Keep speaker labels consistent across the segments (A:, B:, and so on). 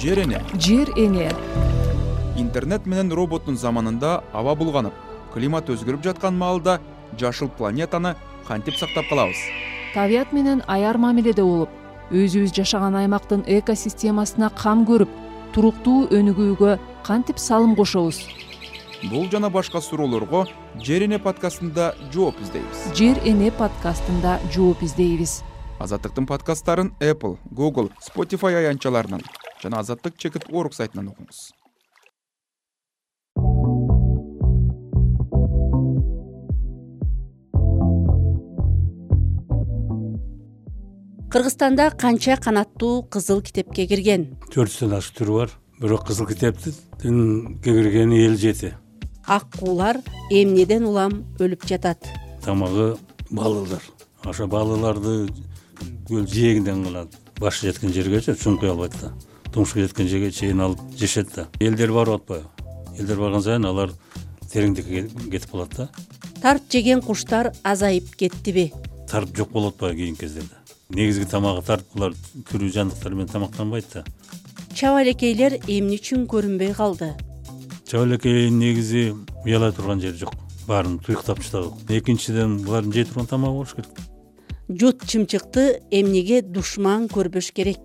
A: Жер эне. Интернет менен роботтун заманында аба булганып, климат өзгөрүп жаткан маалда жашыл планетаны кантип сактап калабыз?
B: Табият менен аяр мамиледе болуп, өзүбүз жашаган аймактын экосистемасына кам көрүп, туруктуу өнүгүүгө кантип салым кошобуз?
A: Бул жана башка суроолорго Жер эне подкастында жооп издейбиз.
B: Жер эне подкастында жооп издейбиз.
A: Азаттыктын подкасттарын Apple, Google, Spotify аянтчаларынан жана azattik.org сайтынан окуңуз.
C: Кыргызстанда канча канаттуу кызыл китепке кирген?
D: 400 ашык түрү бар. Бирок кызыл китептин киргени 57.
C: Ак куулар эмнеден улам өлүп жатат?
D: Тамагы балыклар. Ошо балыкларды көл жээгинден кылат. Башы жеткен жергече чуңкуй албайт да. Тумшук жеткен жерге чейин алып жешет да. Элдер барып атпайбы? Элдер барган сайын алар тереңдикке кетип калат да.
C: Тарт жеген куштар азайып кеттиби?
D: Тарт жок болуп атпайбы кийинки кездерде? Негизги тамагы тарт, булар тирүү жандыктар менен тамактанбайт да.
C: Чабалекейлер эмне үчүн көрүнбөй калды?
D: Чабалекей негизи уялай турган жери жок. Баарын туюктап таштадык. Экинчиден булардын жей турган тамагы болуш керек.
C: Жут чымчыкты эмнеге душман көрбөш керек?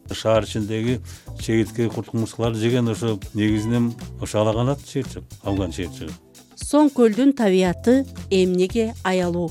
D: Шаар ичиндеги чегитке курт кумурскаларды жеген ошо негизинен ошо алаганат чыйырчык, Афган чыйырчыгы.
C: Соң көлдүн табияты эмнеге аялуу?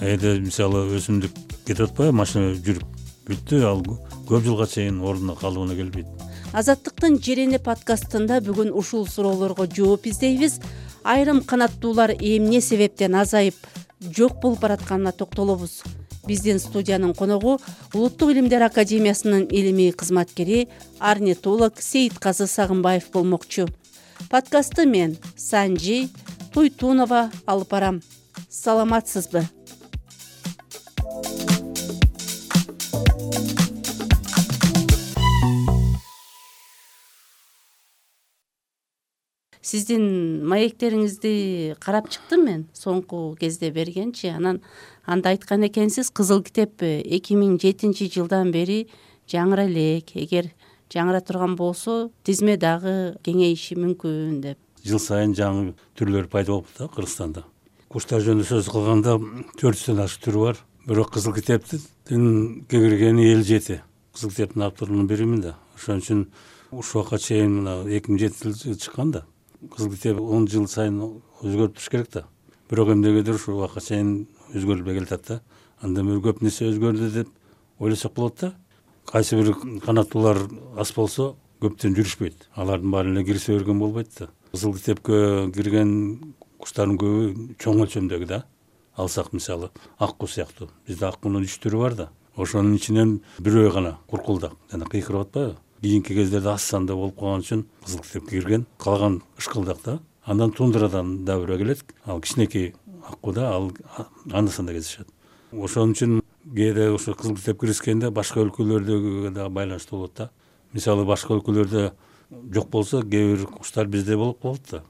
D: Эде мисалы өсүмдүк кетип атпайбы, машина жүрүп бүттү, ал көп жылга чейин ордуна калыбына келбейт.
C: Азаттыктын Жер эне подкастында бүгүн ушул суроолорго жооп издейбиз. Айрым канаттуулар эмне себептен азайып, жок болуп баратканына токтолобуз. Биздин студиянын коногу Улуттук илимдер академиясынын илимий кызматкери, орнитолог Сейитказы Сагынбаев болмокчу. Подкастты мен Санжи Туйтунова алып барам. Саламатсызбы? Сиздин маектериңизди карап чыктым мен соңку кезде бергенчи. Анда айткан экенсиз, кызыл китеп 2007 жылдан бери жаңыра элек. Эгер жаңыра турган болсо, тизме дагы кеңейиши мүмкүн деп.
D: Жыл сайын жаңы түрлөр пайда болуп да Кыргызстанда. Куштар жөнүндө сөз кылганда 400 ашык түрү бар. Бирок кызыл китептин киргени 57. Кызыл китептин авторунун биримин да. Ошон үчүн ушул вакытка чейин 2007 жылы чыккан да. Кызыл китеп 10 жыл сайын өзгөрүп туруш керек да. Бирок эмнегедир ушул вакытка чейин өзгөрүлбөй келатат да. Андан бери көп нерсе өзгөрдү деп ойлосок болот да. Кайсы бир канаттуулар аз болсо көптөн жүрүшпөйт. Алардын баары эле кирсе берген болбойт да. Кызыл китепке кирген куштардын көбү чоң өлчөмдөгү да. Алсак мисалы ак куу сыяктуу. Бизде ак куунун 3 түрү бар да. Ошонун ичинен бирөө гана куркулдак жана кыйкырып атпайбы? Кийинки кездерде аз санда болуп калган үчүн кызыл китепке кирген. Калган ышкылдак да. Андан тундрадан да бирөө келет. Ал кичинекей аккуда, ал анда-санда кездешет. Ошон үчүн кээде ошо кызыл китеп киришкенде башка өлкөлөрдөгү да байланыштуу болот да. Мисалы башка өлкөлөрдө жок болсо, кээ бир куштар бизде болуп калат да.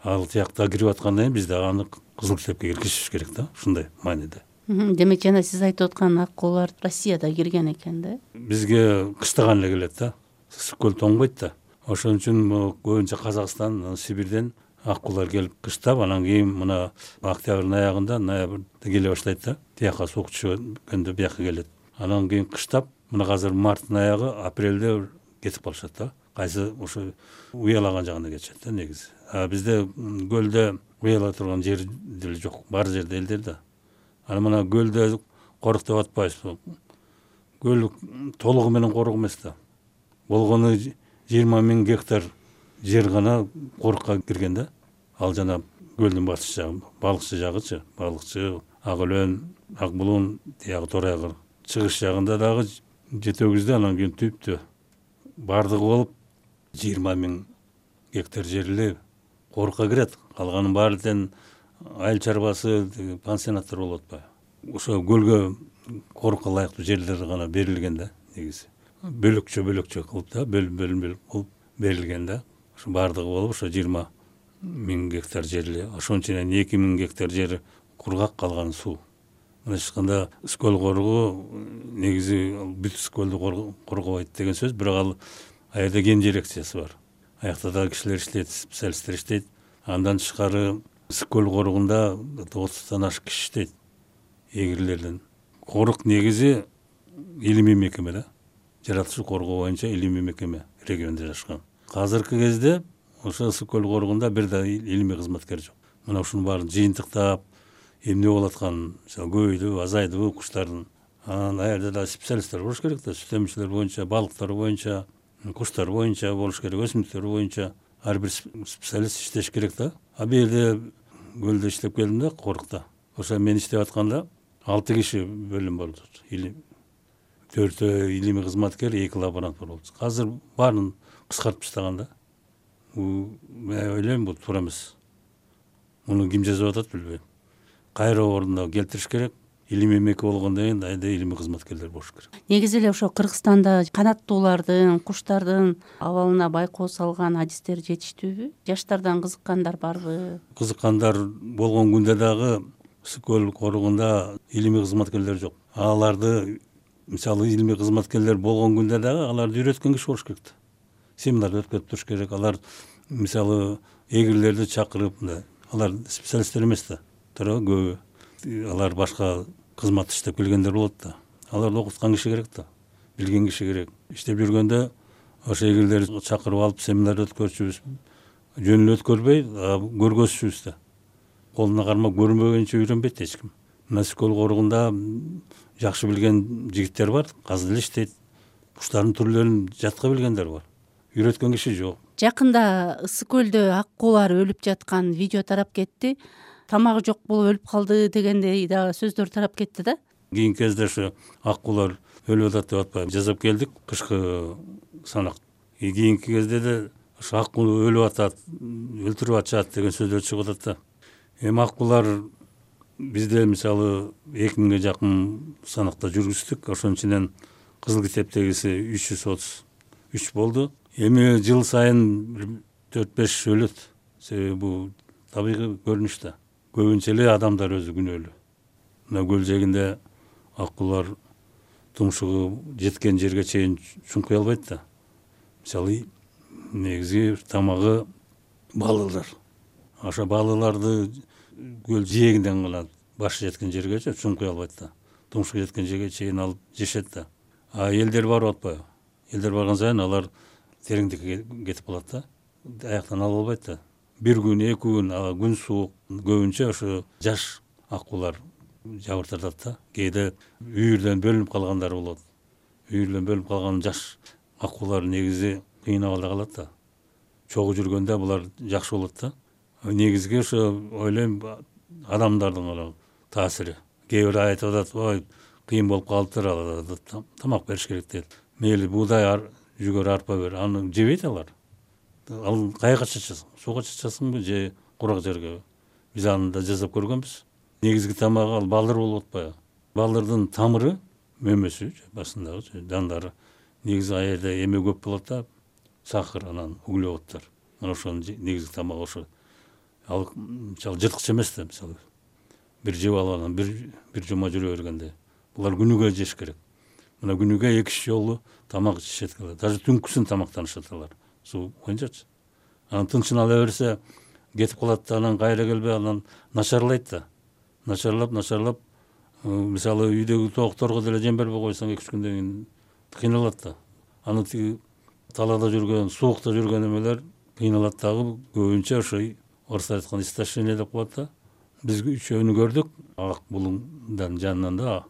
D: Ал тиякта кирип аткандан кийин бизде аны кызыл китепке киргизиш керек да, ушундай мааниде.
C: Демек жана сиз айтып аткан ак куулар Россияда кирген экен да?
D: Бизге кыштаган эле келет да. Ысык көл тоңбойт да. Ошон үчүн көбүнчө Казакстан, Сибирден ак куулар келип кыштап, анан кийин мына октябрдын аягында, ноябрда келе баштайт да. Тияка суук түшкөндө бияка келет. Анан кийин кыштап, мына азыр марттын аягы, апрелде кетип калышат да. Кайсы ошо уялаган жагына кетишет да негизи. А бизде көлдө уялай турган жер деле жок. Бар жерде элдер да. Анан мына көлдө корuk деп атпайбыз. Көл толугу менен корuk эмес да. Болгону 20 000 гектар жер гана корукка кирген да. Ал жана көлдүн батыш жагы, балыкчы жагычы, балыкчы, ак өлөн, ак булун, тиягы тор айгыр. Чыгыш жагында дагы жетөгүздө, анан кийин түптө бардыгы болуп 20 000 гектар жер эле корукка кирет. Калганын баары тең айыл чарбасы, пансионаттар болуп атпайбы? Ошо көлгө корукка ылайыктуу жерлер гана берилген да негизи. Бөлөкчө кылып да, бөлүм кылып берилген да. Ошо бардыгы болуп ошо 20 000 гектар жер эле. Ошонун ичинен 2 000 гектар жери кургак, калган суу. Мындайча айтканда Скөл коругу негизи бүт Скөлдү коргобойт деген сөз, бирок ал ал жерде ген дирекциясы бар. Аякта да кишилер иштейт, специалисттер иштейт. Андан тышкары Ысык көл коругунда 30тан ашык киши иштейт, эгерлерден. Корук негизи илимий мекеме да. Жаратылышы коргоо боюнча илимий мекеме региондо жашкан. Азыркы кезде ошо Ысык көл коругунда бир да илимий кызматкер жок. Мына ушунун баарын жыйынтыктап, эмне болуп атканын, көбөйдүбү, азайдыбы куштардын. Ал жерде да специалисттер болуш керек да, сүт эмчилер боюнча, балыктар боюнча, куштар боюнча болуш керек, өсүмдүктөр боюнча ар бир специалист иштеш керек да. А бул жерде көлдө иштеп келдим да, корукта. Ошо мен иштеп атканда 6 киши бөлүм болду. 4 илимий кызматкер, 2 лаборант болду. Азыр баарын кыскартып таштаган да. Мен ойлойм бул туура эмес. Муну ким жазып атат билбейм. Кайра ордуна келтириш керек. Илимий мекеме болгондон кийин айда илимий кызматкерлер болуш керек.
C: Негизи эле ошо Кыргызстанда канаттуулардын, куштардын абалына байкоо салган адистер жетиштүүбү? Жаштардан кызыккандар барбы?
D: Кызыккандар болгон күндө дагы Ысык көл коругунда илимий кызматкерлер жок. Аларды, мисалы, илимий кызматкерлер болгон күндө дагы аларды үйрөткөн киши болуш керек да. Семинар өткөрүп туруш керек. Алар, мисалы, эгерлерди чакырып, алар специалисттер эмес да. Туурабы, көбү. Алар башка кызмат иштеп келгендер болот да. Аларды окуткан киши керек да. Билген киши керек. Иштеп жүргөндө ошо эгерлерди чакырып алып семинар өткөрчүбүз. Жөнүнө өткөрбөй, көргөзчүбүз да. Колуна кармап көрмөгөнчө үйрөнбөйт эч ким. Ысык көл коругунда жакшы билген жигиттер бар, азыр эле иштейт. Куштардын түрлөрүн жатка билгендер бар. Үйрөткөн киши жок.
C: Жакында Ысык көлдө аккуулар өлүп жаткан видео тарап кетти. Тамагы жок болуп өлүп калды дегендей дагы сөздөр тарап кетти да.
D: Кийинки кезде ошо аккуулар өлүп атат деп атпайбы, жазып келдик кышкы санак. Кийинки кезде да ошо аккуу өлүп атат, өлтүрүп атышат деген сөздөр чыгып атат да. Эми аккуулар бизде, мисалы, 2000ге жакын санакта жүргүздүк. Ошонун ичинен кызыл китептегиси 333 болду. Эми жыл сайын 4-5 өлөт. Себеби бул табигый көрүнүш да. Көбүнчө эле адамдар өзү күнөөлүү. Мына көл жээгинде аккуулар тумшугу жеткен жерге чейин чуңкуй албайт да. Мисалы, негизи тамагы балыклар. Ошо балыкларды көл жээгинден гана башы жеткен жергече чуңкуй албайт да. Тумшугу жеткен жерге чейин алып жешет да. А элдер барып атпайбы? Элдер барган сайын алар тереңдикке кетип калат да. Аяктан алып албайт да. Бир күн, 2 күн, күн суук, көбүнчө ошо жаш аккуулар жабыртатат да. Кээде үйүрдөн бөлүнүп калгандар болот. Үйүрдөн бөлүнүп калган жаш аккуулар негизи кыйын абалда калат да. Чогуу жүргөндө булар жакшы болот да. Негизги ошо ойлойм адамдардын таасири. Кээ бир айтып атат, ой, кыйын болуп калыптыр, тамак бериш керек дейт. Мейли буудай, жүгөр, арпа бер, аны жебейт алар. Ал кайга чачасың? Сууга чачасыңбы же курак жерге? Биз аны да жасап көргөнбүз. Негизги тамагы ал балдыр болуп атпайбы? Балдырдын тамыры, мөмөсү, басындагы жандары. Негизи ал жерде эме көп болот да, сахар, анан углеводдор. Мына ошонун негизги тамагы ошо. Ал мисалы жырткыч эмес да, мисалы. Бир жеп алып анан бир жума жүрө бергенде. Булар күнүгө жеш керек. Мына күнүгө 2 жолу тамак жешет. Даже түнкүсүн тамактанышат алар. Суу боюнчачы. Анан тынчын ала берсе кетип калат да, анан кайра келбей, анан начарлайт да. Начарлап, мисалы үйдөгү тоокторго деле жем бербей койсоң 2-3 күндөн кийин кыйналат да. Аны талаада жүргөн, суукта жүргөн эмелер кыйналат дагы, көбүнчө ошо орустар айткан истощение деп коет да. Биз 3-өөнү көрдүк, ак булуңдан жанынан да.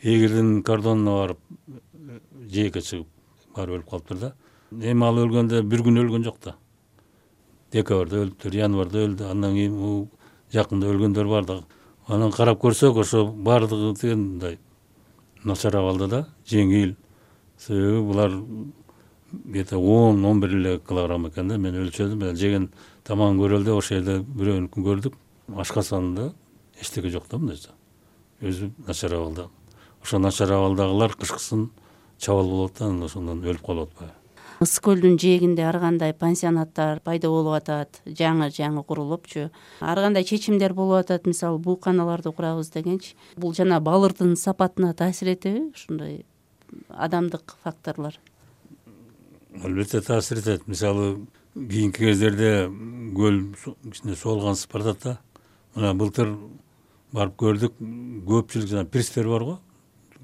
D: Эгердин кордонуна барып, жээкке чыгып, барып өлүп калыптыр да. Эми ал өлгөндө 1 күн өлгөн жок да. Декабрда өлүптүр, январда өлдү, андан кийин жакында өлгөндөр бар да. Анан карап көрсөк, ошо бардыгы мындай начар абалда да, жеңил. Себеби булар где-то 10-11 эле килограмм экен да. Мен өлчөдүм, жеген тамагын көрөлдө ошол жерде бирөөнүкүн көрдүк. Ашкасанында эчтеке жок да мындайча. Өзү начар абалда. Ошо начар абалдагылар кышкысын чабал болот да, ошондон өлүп калып атпайбы?
C: Ысык көлдүн жээгинде ар кандай пансионаттар пайда болуп атат, жаңы курулупчу. Ар кандай чечимдер болуп атат, мисалы бууканаларды курабыз дегенчи. Бул жана балырдын сапатына таасир этеби ушундай адамдык факторлор?
D: Албетте таасир этет. Мисалы кийинки кездерде көл кичине соолгансып баратат да. Мына былтыр барып көрдүк, көпчүлүк жана пирстер бар го,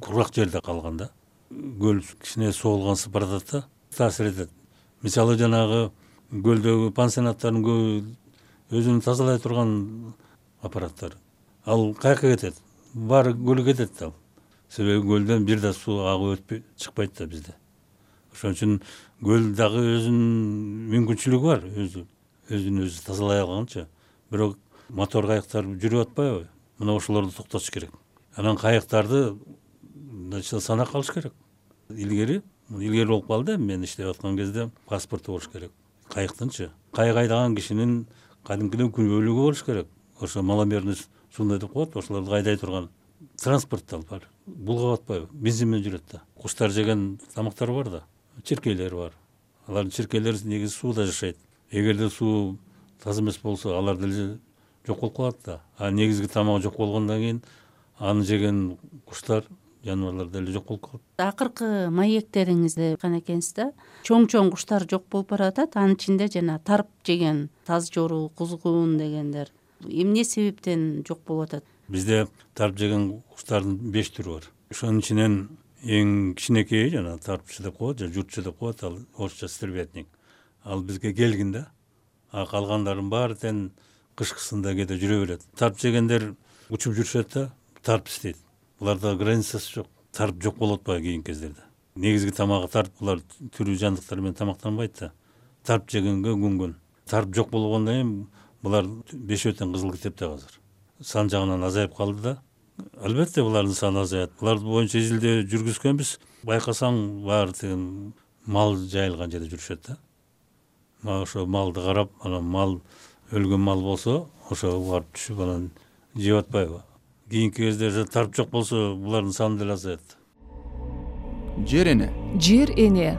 D: кургак жерде калган да. Көл кичине соолгансып баратат да, таасир этет. Мисалы жанагы көлдөгү пансионаттардын көбү өзүн тазалай турган аппараттар. Ал каяка кетет? Баары көлгө кетет да. Себеби көлдөн бир да суу агып өтпөй чыкпайт да бизде. Ошон үчүн көл дагы өзүнүн мүмкүнчүлүгү бар, өзүн өзү тазалай алганча. Бирок мотор кайыктар жүрүп атпайбы? Мына ошолорду токтотуш керек. Анан кайыктарды санак алыш керек. Илгери болуп калды, мен иштеп аткан кезде паспорту болуш керек. Кайыктынчы. Кайык айдаган кишинин кадимкиден күнөөлүгү болуш керек. Ошо маломерный сундай деп коет, ошолорду айдай турган транспорттар бар. Булга батпайбы? Бензин менен жүрөт да. Куштар жеген тамактар бар да. Черкейлер бар. Алардын черкейлери негизи сууда жашайт. Эгерде суу таза эмес болсо, алар деле жок болуп калат да. А негизги тамагы жок болгондон кийин аны жеген куштар, жаныбарлар деле жок болуп калат.
C: Акыркы маектериңизде айткан экенсиз да, чоң куштар жок болуп баратат. Анын ичинде жана тарп жеген, таз жору, кузгун дегендер эмне себептен жок болуп атат?
D: Бизде тарп жеген куштардын 5 түрү бар. Ошонун ичинен эң кичинекейи жана тарпчы деп коет, же журтчу деп коет, ал орусча стервятник. Ал бизге келгин да. А калгандардын баары тең кышкысында кээде жүрө берет. Тарп жегендер учуп жүрүшөт да, тарп истейт. Буларда границасы жок. Тарп жок болуп атпайбы кийинки кездерде. Негизги тамагы тарп, булар тирүү жандыктар менен тамактанбайт да. Тарп жегенге күнгөн. Тарп жок болгондон кийин булар бешөө тең кызыл китепте азыр. Сан жагынан азайып калды да. Албетте булардын саны азаят. Булар боюнча изилдөө жүргүзгөнбүз. Байкасаң баары тең мал жайылган жерде жүрүшөт да. Ошо малды карап, анан мал өлгөн мал болсо, ошо барып түшүп анан жеп атпайбы? Кийинки кезде тарп жок болсо, булардын саны деле азаят.
A: Жер эне.
B: Жер эне.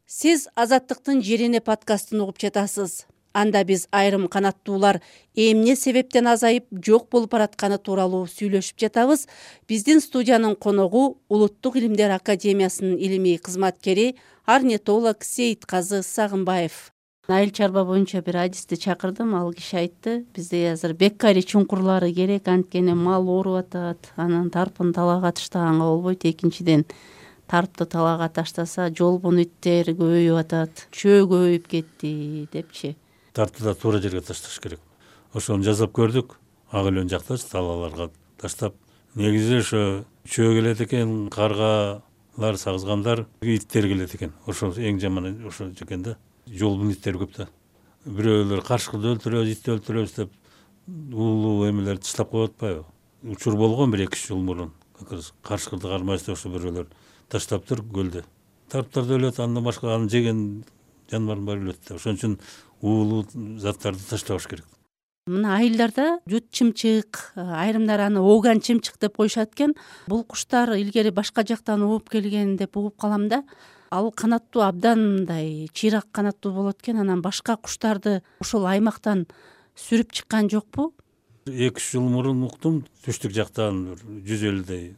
C: Сиз Азаттыктын Жер эне подкастын угуп жатасыз. Анда биз айрым канаттуулар эмне себептен азайып жок болуп баратканы тууралуу сүйлөшүп жатабыз. Биздин студиянын коногу Улуттук Илимдер Академиясынын илимий кызматкери орнитолог Сейитказы Сагынбаев. Айыл чарба боюнча бир адисти чакырдым, ал киши айтты, бизде азыр беккари чуңкурлары керек, анткени мал ооруп атат, анан тарпын талаага таштаганга болбойт. Экинчиден, тарпты талаага таштаса жолбун иттер көбөйүп атат, чөө көбөйүп кетти депчи.
D: Тарпты да туура жерге ташташ керек. Ошону жазап көрдүк. Ак элен жактачы талааларга таштап. Негизи ошо чөө келет экен, каргалар, сагызгандар, иттер келет экен. Ошо эң жаманы ошо экен да. Жолбун иттер көп да. Бирөөлөр каршкыды өлтүрөбүз, итти өлтүрөбүз деп улуу эмелерди таштап коюп атпайбы? Учур болгон 1-2 жыл мурун. Каршкырды кармайбыз деп ошо бирөөлөр таштаптыр көлдө. Тарптар да өлөт, андан башка аны жеген жаныбардын баары өлөт да. Ошон үчүн уулуу заттарды таштабаш керек.
C: Мына айылдарда жут чымчык, айрымдар аны ооган чымчык деп коюшат экен. Бул куштар илгери башка жактан ууп келген деп угуп калам да. Ал канаттуу абдан мындай чыйрак канаттуу болот экен, анан башка куштарды ошол аймактан сүрүп чыккан жокпу?
D: 2 жыл мурун уктум, түштүк жактан 150дей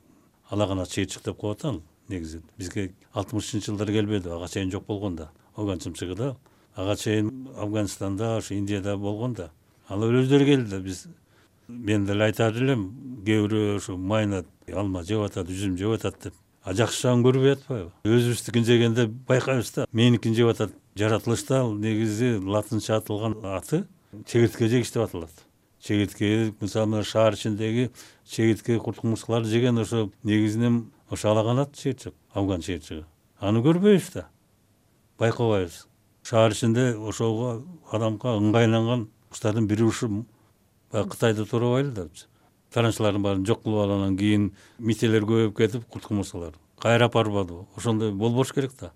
D: алаганат чыйырчык деп коет ал. Негизи бизге 60-жылдары келбеди, ага чейин жок болгон да. Ооган чымчыгы да ага чейин Афганистанда, ошо Индияда болгон да. Ал өздөрү келди да, мен деле айтар элем, кээ бирөө ошо майнат, алма жеп атат, üzüm жеп атат деп. А жакшы жагын көрбөй атпайбы? Өзүбүздүкүн жегенде байкайбыз да. Меникин жеп атат. Жаратылышта негизи латынча атылган аты чегиртке жегич деп аталат. Чегиртке, мисалы мына шаар ичиндеги чегиртке курт-кумурскаларды жеген ошо негизинен ошо алаганат чыйырчык, афган чыйырчыгы. Аны көрбөйбүз да. Байкабайбыз. Шаар ичинде ошого адамга ыңгайланган куштардын бири ушу Кытайда туурабайлы да. Таранчылардын баарын жок кылып алгандан кийин мителер көбөйүп кетип, курт-кумурскалар кайра барбады. Ошондой болбош керек да.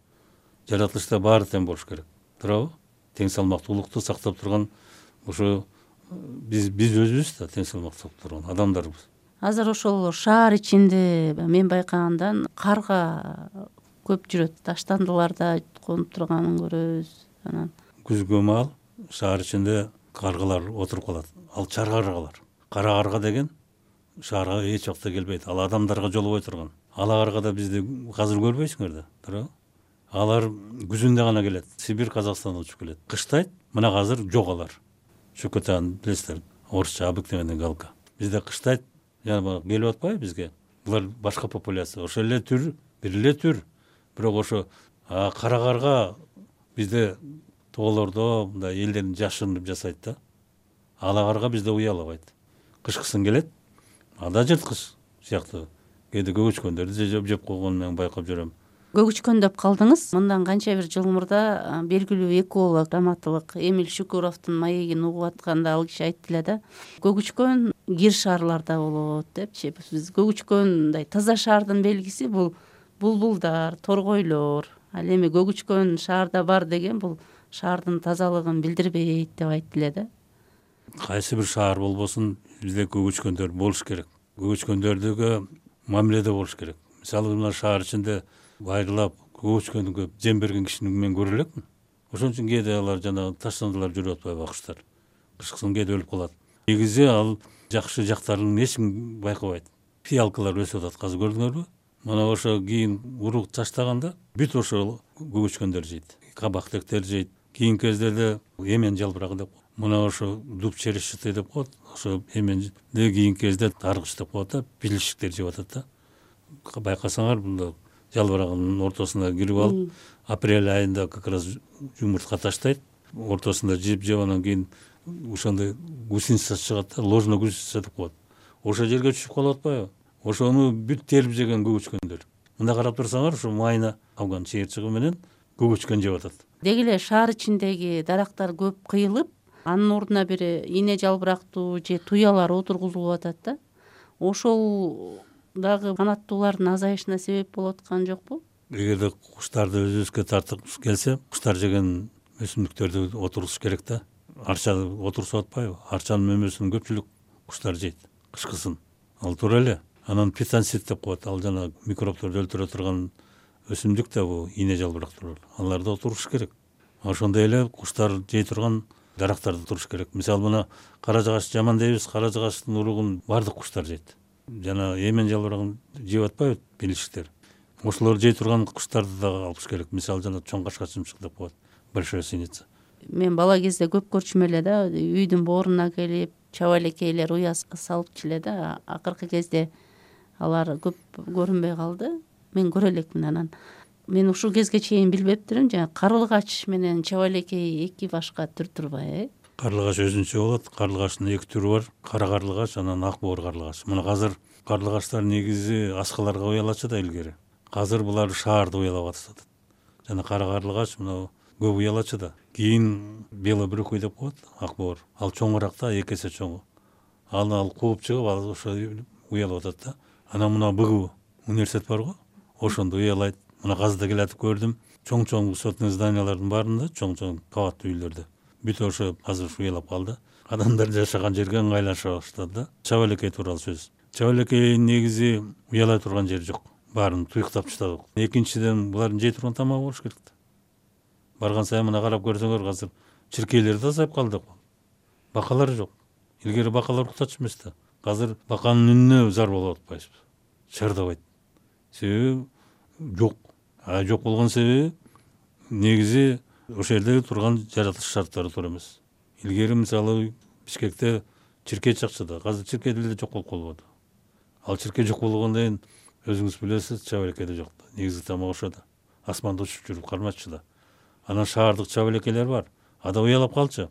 D: Жаратылышта баары тең болуш керек. Туурабы? Тең салмактуулукту сактап турган ошо биз өзүбүз да тең салмактуу турган адамдарбыз.
C: Азыр ошол шаар ичинде мен байкагандан карга көп жүрөт. Таштандыларда конуп турганын көрөбүз. Анан
D: күзгө маал шаар ичинде каргалар отуруп калат. Ал чар каргалар. Кара карга деген шаарга эч убакта келбейт. Ал адамдарга жолобой турган. Аларга да бизди азыр көрбөйсүңөр да, туурабы? Алар күзүндө гана келет. Сибирь, Казакстандан учуп келет. Кыштайт, мына азыр жок алар. Чукотан билесиздер, орусча обыкновенный галка. Бизде кыштайт, жана келип атпайбы бизге. Булар башка популяция, ошол эле түр, бир эле түр. Бирок ошо карагарга бизде тоолордо мындай элдерин жашырынып жасайт да. Алагарга бизде уялабайт. Кышкысын келет, ада жырткыч сыяктуу. Кээде көгүчкөндөрдү жеп койгонун мен байкап жүрөм.
C: Көгүчкөн деп калдыңыз. Мындан канча бир жыл мурда белгилүү эколог, драматург Эмиль Шукуровдун маегин угуп атканда ал киши айтты эле да, көгүчкөн кир шаарларда болот депчи. Биз көгүчкөн мындай таза шаардын белгиси бул булбулдар, торгойлор. Ал эми көгүчкөн шаарда бар деген бул шаардын тазалыгын билдирбейт деп айтты эле да.
D: Кайсы бир шаар болбосун, бизде көгүчкөндөр болуш керек. Көгүчкөндөрдүгө мамиледе болуш керек. Мисалы, мына шаар ичинде байырлап көгүчкөнгө жем берген кишини мен көрө элекмин. Ошон үчүн кээде алар жана таштандылар жүрүп атпайбы акчтар. Кышкысын кээде өлүп калат. Негизи ал жакшы жактарын эч ким байкабайт. Фиалкалар өсүп атат, азыр көрдүңөрбү? Мына ошо кийин урук таштаганда бүт ошо көгүчкөндөр жейт. Кабактектер жейт. Кийинки кездерде эмен жалбырагы деп, мына ошо дуб черешчатый деп коет. Ошо эменди кийинки кезде таргыч деп коет да, пилишиктер жеп атат да. Байкасаңар, бул жалбырагынын ортосуна кирип алып, апрель айында как раз жумуртка таштайт, ортосунда жеп анан кийин ошондой гусеница чыгат да, ложный гусеница деп коет. Ошол жерге түшүп калып атпайбы? Ошону бүт терип жеген көгүчкөндөр. Мында карап турсаңар, ошо майына алган чыйырчыгы менен көгүчкөн жеп атат.
C: Деги эле шаар ичиндеги дарактар көп кыйылып, анын ордуна бир ийне жалбырактуу же туялар отургузулуп атат да. Ошол дагы канаттуулардын азайышына себеп болуп аткан жокпу?
D: Эгерде куштарды өзүбүзгө тартып келсе, куштар жеген өсүмдүктөрдү отургузуш керек да. Арча отурсуп атпайбы? Арчанын мөмөсүн көпчүлүк куштар жейт кышкысын. Ал туура эле. Анан питансит деп коет. Ал жана микробторду өлтүрө турган өсүмдүк да бул ийне жалбырактар. Аларды отуруш керек. Ошондой эле куштар жей турган дарактарды туруш керек. Мисалы, мына кара жагаш жаман дейбиз, кара жагаштын уругун бардык куштар жейт. Жана эмен жалбырагын жеп атпайбы пилишиктер. Ошолор жей турган куштарды да алыш керек. Мисалы, жана чоң кашкачымчык деп коет, большая синица.
C: Мен бала кезде көп көрчүм эле да, үйдүн бооруна келип, чаба элекейлер уя салыпчу эле да. Акыркы кезде алар көп көрүнбөй калды. Мен көрө элекмин анан. Мен ушул кезге чейин билбептирим, жана карлыгач менен чаба элекей эки башка түр турбайбы?
D: Карлыгач өзүнчө болот. Карлыгачтын эки түрү бар. Кара карлыгач, анан ак боор карлыгач. Мына азыр карлыгачтар негизи аскаларга уялачу да илгери. Азыр булар шаарда уялап атышат. Жана кара карлыгач мына көп уялачу да. Кийин белобрюхый деп коет, ак боор. Ал чоңураак да, эки эсе чоң. Ал кууп чыгып, ал ошо уялап атат да. Анан мына БГУ университет барго, ошондо уялайт. Мына газда келатып көрдүм. Чоң-чоң высотный зданиялардын баарында, чоң-чоң кабаттуу үйлөрдө. Бүт ошо азыр уялап калды. Адамдар жашаган жерге ыңгайлаша баштады да. Чаба элекей тууралуу сөз. Чаба элекей негизи уялай турган жери жок. Баарын туюктап таштадык. Экинчиден, булардын жей турган тамагы болуш керек да. Барган сайын мына карап көрсөңөр, азыр чиркейлер да азайып калды. Бакалар жок. Илгери бакалар уктачу эмес да. Азыр баканын үнүнө зар болуп атпайсызбы? Чардабайт. Себеби жок. Жок болгон себеби негизи ошол жерде турган жаратылыш шарттары туура эмес. Илгери мисалы Бишкекте чиркей чакчы да, азыр чиркей деле жок болуп калбады. Ал чиркей жок болгондон кийин өзүңүз билесиз, чаба элекей жок да. Негизги тамак ошо да. Асманда учуп жүрүп кармаччы да. Анан шаардык чаба элекейлер бар. Ада уялап калчу.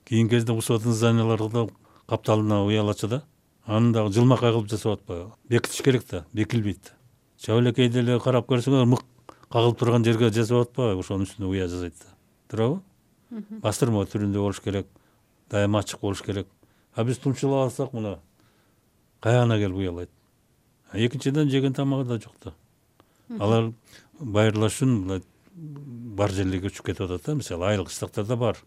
D: Кийинки кезде высотный зданияларда капталына уялачу да. Аны дагы жылмакай кылып жасап атпайбы? Бекитиш керек да, бекилбейт да. Чаба элекей деле карап көрсөңөр, мык кагылып турган жерге жасап атпайбы? Ошонун үстүнө уя жасайт да. Туурабы? Бастырма түрүндө болуш керек. Дайыма ачык болуш керек. Биз тумчулап алсак, мына каяна келип уялайт. Экинчиден, жеген тамагы да жок да. Алар байырлаш үчүн бар жерлерге өчүп кетип атат да. Мисалы, айыл кыштактарда бар.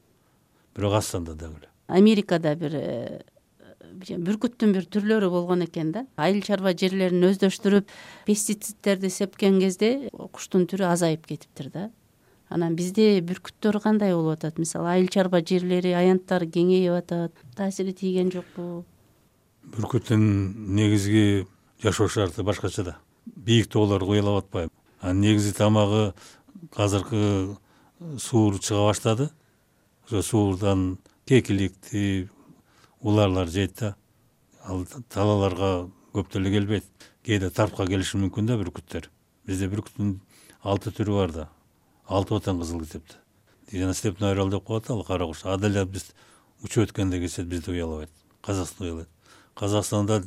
D: Бирок Астанда дагы эле.
C: Америкада бир бүркүттүн бир түрлөрү болгон экен да. Айыл чарба жерлерин өздөштүрүп, пестицидтерди сепкен кезде куштун түрү азайып кетиптир да. Анан бизде бүркүттөр кандай болуп атат? Мисалы, айыл чарба жерлери, аянттар кеңейип атат. Таасири тийген жокпу?
D: Бүркүттүн негизги жашоо шарты башкача да. бийик тоолор уялап атпайбы. Негизи тамагы азыркы суур чыга баштады. Ошо суурдан кекиликти уларлар жейт да. Ал талаларга көп деле келбейт. Кээде тарпка келиши мүмкүн да бүркүттөр. Бизде бүркүттүн 6 түрү бар да. 6 отан кызыл китепте. Жана степной орел деп коет ал кара куш. Аделе биз учуп өткөндө келсе бизди уялабайт. Казакстан уялайт. Казакстанда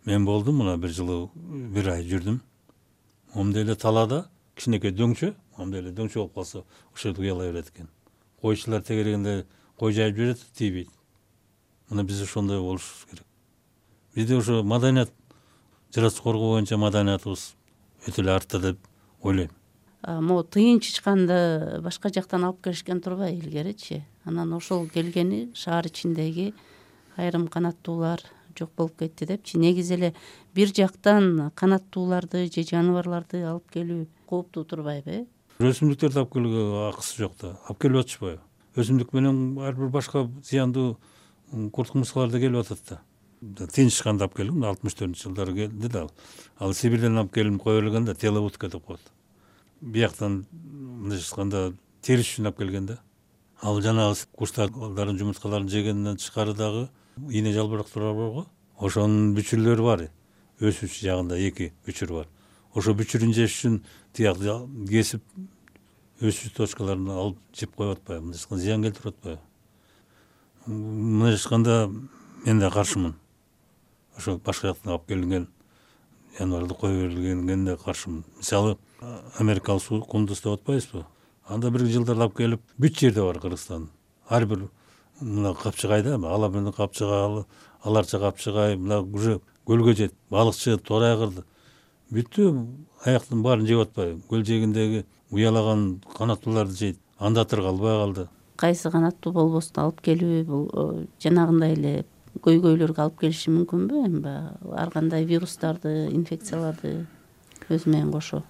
D: мен болдум, мына бир жылы 1 ай жүрдүм. Момда эле талада кичинекей дөңчө, момда эле дөңчө болуп калса, ошол уялай берет экен. Койчулар тегерегенде кой жайып жүрөт, тийбейт. Мына биз ошондой болушубуз керек. Бизде ошо маданият, жаратылыш коргоо боюнча маданиятыбыз өтө эле артта деп ойлойм.
C: Могу тыйын чычканды башка жактан алып келишкен турбайбы илгеричи? Анан ошол келгени шаар ичиндеги айрым канаттуулар жок болуп кетти депчи. Негизи эле бир жактан канаттууларды же жаныбарларды алып келүү кооптуу турбайбы?
D: Өсүмдүктөрдү алып келүүгө акысы жок да. Алып келип атышпайбы? Өсүмдүк менен ар бир башка зыяндуу курт кумурскалар да келип атат да. Тыйын чычканды алып келдим, 64-жылдары келди да. Ал Сибирден алып келип кое бергенде теловудка деп коет. Бияктан мындайча айтканда териш үчүн алып келген да. Ал жанагы куштардын жумурткаларын жегенден тышкары дагы ийне жалбырактар бар го. Ошонун бүчүрлөрү бар. Өсүүчү жагында 2 бүчүр бар. Ошо бүчүрүн жеш үчүн тиякты кесип өсүүчү точкаларын алып жеп коюп атпайбы? Мындайча зыян келтирип атпайбы? Мындайча айтканда мен да каршымын. Ошо башка жактан алып келинген жаныбарды кое бергенге каршымын. Мисалы, америкалык кундуз деп атпайбызбы? Анда бир жылдар алып келип, бүт жерде бар Кыргызстан. Ар бир мына капчыгайда, ала менен капчыгай, аларча капчыгай, мына уже көлгө жет, балыкчы, торай кырды. Бүттү аяктын баарын жеп атпайбы? Көл жээгиндеги уялаган канаттууларды жейт. Анда тыр калбай калды.
C: Кайсы канаттуу болбосун алып келүү бул жанагындай эле көйгөйлөргө алып келиши мүмкүнбү? Эми ар кандай вирустарды, инфекцияларды өзү менен кошо.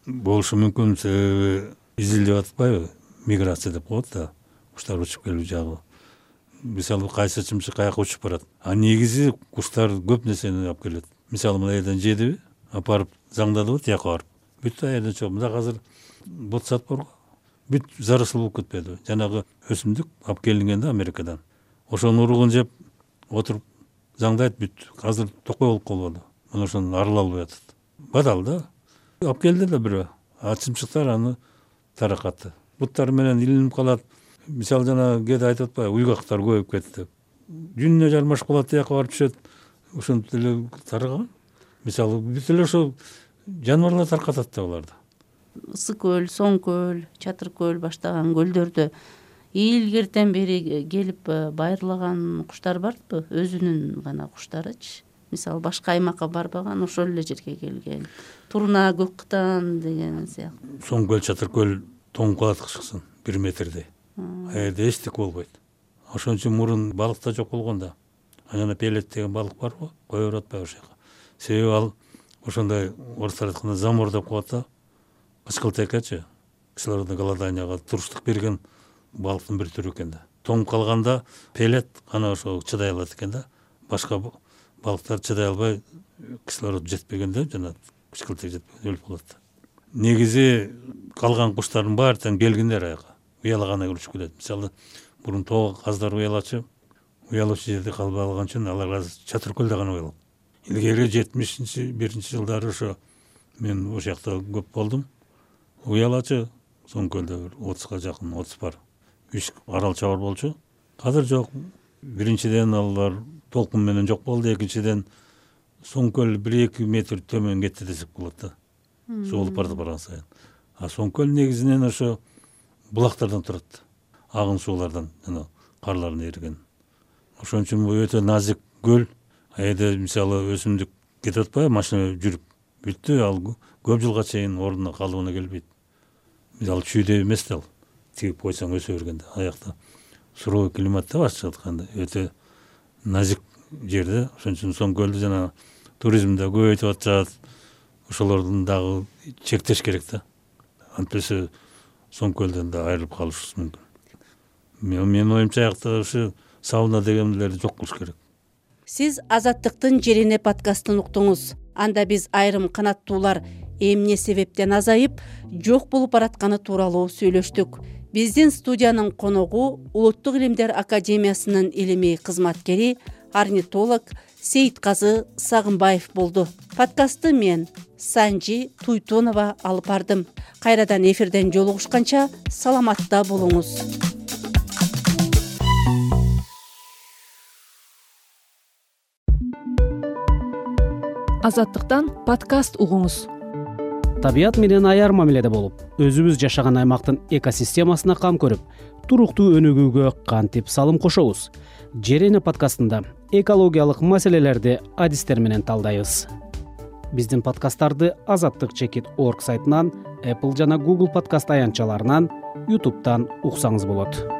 D: Болушу мүмкүн, себеби изилдеп атпайбы? Миграция деп коет да. Куштар учуп келүү жагы. Мисалы, кайсы чымчык каяка учуп барат. Негизи куштар көп нерсени алып келет. Мисалы, мына жерден жедиби, апарып заңдадыбы тияка барып. Бүт жерден чыгып, мында азыр ботсат бар го. Бүт заросл болуп кетпеди. Жанагы өсүмдүк алып келинген да Америкадан. Ошонун уругун жеп отуруп заңдайт бүт. Азыр токой болуп калбады. Мына ошону арыла албай атат. Бадал да. Алып келди да бирөө. Чымчыктар аны таракатты. Буттары менен илинип калат. Мисалы, жана кээде айтып атпайбы, уйгактар көбөйүп кетти деп. Жүнүнө жармашып калат, тияка барып түшөт. Ошентип эле тараган. Мисалы, бүт эле ошо жаныбарлар таркатат да буларды.
C: Ысык көл, Соң көл, Чатыр көл баштаган көлдөрдө илгертен бери келип байырлаган куштар барбы? Өзүнүн гана куштарычы. Мисалы, башка аймакка барбаган, ошол эле жерге келген. Турна, көк кытан деген сыяктуу.
D: Соң көл, Чатыр көл тоңуп калат кышкысын 1 метрдей. Аерде эчтеке болбойт. Ошон үчүн мурун балык да жок болгон да. Анан пелет деген балык бар го, кое берип атпайбы ошол жака. Себеби ал ошондой орустар айтканда замор деп коет да. Кычкылтекечи, кислородный голоданияга туруштук берген балыктын бир түрү экен да. Тоңуп калганда пелет ана ошо чыдай алат экен да. Башка балыктар чыдай албай, кислород жетпегенде жана кычкылтек жетпегенде өлүп калат. Негизи калган куштардын баары тең келгиндер аяка. Уялаганы учуп келет. Мисалы, мурун тоо каздар уялачы, уялуучу жерде калбай калган үчүн алар азыр Чатыр көлдө гана уялат. Илгери 71-жылдары ошо мен ошол жакта көп болдум. Уялачы Соң көлдө 30га жакын, 30 бар. 3 арал чабар болчу. Азыр жок. Биринчиден алар толкун менен жок болду, экинчиден Соң көл 1-2 метр төмөн кетти десек болот да. Соолуп барган сайын. Соң көл негизинен ошо булактардан турат. Агын суулардан, жана карлардын эриген. Ошон үчүн бул өтө назик көл. Айда мисалы өсүмдүк кетип атпайбы, машина жүрүп бүттү, ал көп жылга чейин ордуна калыбына келбейт. Мисалы чүйдө эмес да ал. Тигип койсоң өсө бергенде. Аякта суровый климатта башка айтканда өтө назик жерде. Ошон үчүн Соң көлдү жана туризмде көбөйтүп атышат. Ошолордун дагы чектеш керек да. Антпесе Соң көлдөн да айрылып калышыбыз мүмкүн. Менин оюмча аякта ушу сауна дегендерди жок кылыш керек.
C: Сиз Азаттыктын жерине подкастын уктуңуз. анда биз айрым канаттуулар эмне себептен азайып жок болуп баратканы тууралуу сүйлөштүк. Биздин студиянын коногу Улуттук илимдер академиясынын илимий кызматкери, орнитолог Сейитказы Сагынбаев болду. Подкастты мен Санжи Туйтонова алып бардым. Кайрадан эфирден жолугушканча саламатта болуңуз.
B: Азаттыктан подкаст угуңуз.
E: Табият менен аяр мамиледе болуп, өзүбүз жашаган аймактын экосистемасына кам көрүп, туруктуу өнүгүүгө кантип салым кошобуз? Жер эне подкастында экологиялык маселелерди адистер менен талдайбыз. Биздин подкасттарды azattik.org сайтынан, Apple жана Google подкаст аянтчаларынан, YouTube'дан уксаңыз болот.